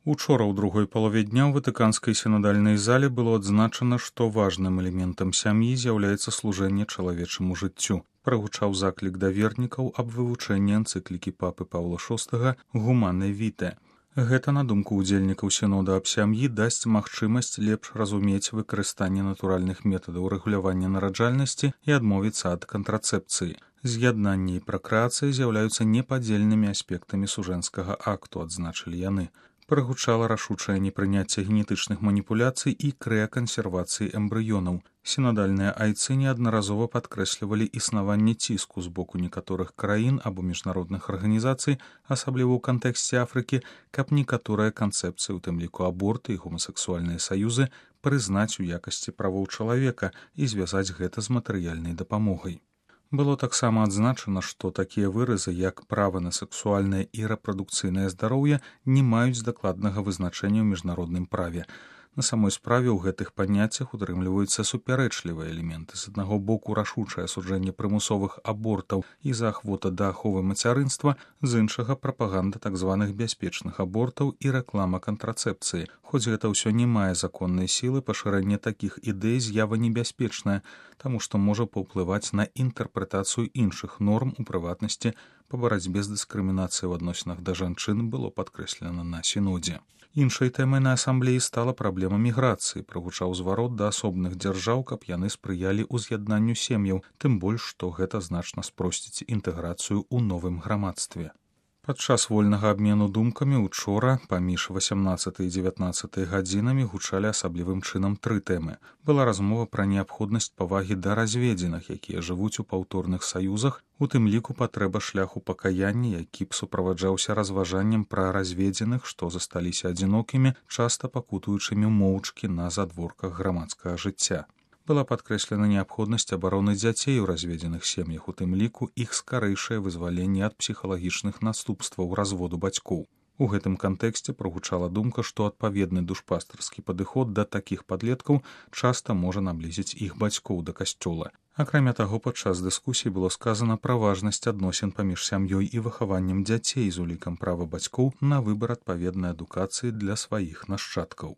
Учора ў другой палове дня ў ватыканскай сінодальнай зале было адзначана, што важным элементам сям'і з'яўляецца служэнне чалавечаму жыццю. Прагучаў заклік да вернікаў аб вывучэнні энцыклікі папы Паўла VI «Гумане Віте». Гэта, на думку ўдзельнікаў сінода аб сям'і, дасць магчымасць лепш разумець выкарыстанне натуральных метадаў рэгулявання нараджальнасці і адмовіцца ад кантрацэпцыі. З'яднанне і пракрэацыя з'яўляюцца непадзельнымі аспектамі сужэнскага акту, адзначылі яны. Прагучала рашучае непрыняцце генетычных маніпуляцый і крыякансервацыі эмбрыёнаў. Сінадальныя айцы неаднаразова падкрэслівалі існаванне ціску з боку некаторых краін або міжнародных арганізацый, асабліва ў кантэксце Афрыкі, каб некаторыя канцэпцыі, у тым ліку аборты і гомасексуальныя саюзы, прызнаць у якасці правоў чалавека і звязаць гэта з матэрыяльнай дапамогай. Было таксама адзначана, што такія выразы, як права на сексуальнае і рэпрадукцыйнае здароўе, не маюць дакладнага вызначэння ў міжнародным праве. На самой справе ў гэтых паняццях утрымліваюцца супярэчлівыя элементы. З аднаго боку рашучае асуджэнне прымусовых абортаў і заахвота да аховы мацярынства, з іншага прапаганда так званых бяспечных абортаў і рэклама кантрацэпцыі. Хоць гэта ўсё не мае законнай сілы, пашырэнне такіх ідэй з'ява небяспечная, таму што можа паўплываць на інтэрпрэтацыю іншых норм, у прыватнасці па барацьбе з дыскрымінацыяй у адносінах да жанчын, было падкрэслена на сінодзе. Іншай тэмай на асамблеі стала праблема міграцыі. Прагучаў зварот да асобных дзяржаў, каб яны спрыялі ўз'яднанню сем'яў, тым больш, што гэта значна спросціць інтэграцыю ў новым грамадстве. Падчас вольнага абмену думкамі учора паміж 18 і 19 гадзінамі гучалі асаблівым чынам тры тэмы. Была размова пра неабходнасць павагі да разведзеных, якія жывуць у паўторных саюзах, у тым ліку патрэба шляху пакаяння, які б суправаджаўся разважаннем пра разведзеных, што засталіся адзінокімі, часта пакутуючымі моўчкі на задворках грамадскага жыцця. Была падкрэслена неабходнасць абароны дзяцей у разведзеных сем'ях, у тым ліку іх скарэйшае вызваленне ад псіхалагічных наступстваў разводу бацькоў. У гэтым кантэксце прагучала думка, што адпаведны душпастарскі падыход да такіх падлеткаў часта можа наблізіць іх бацькоў да касцёла. Акрамя таго, падчас дыскусіі было сказана пра важнасць адносін паміж сям'ёй і выхаваннем дзяцей з улікам права бацькоў на выбар адпаведнай адукацыі для сваіх нашчадкаў.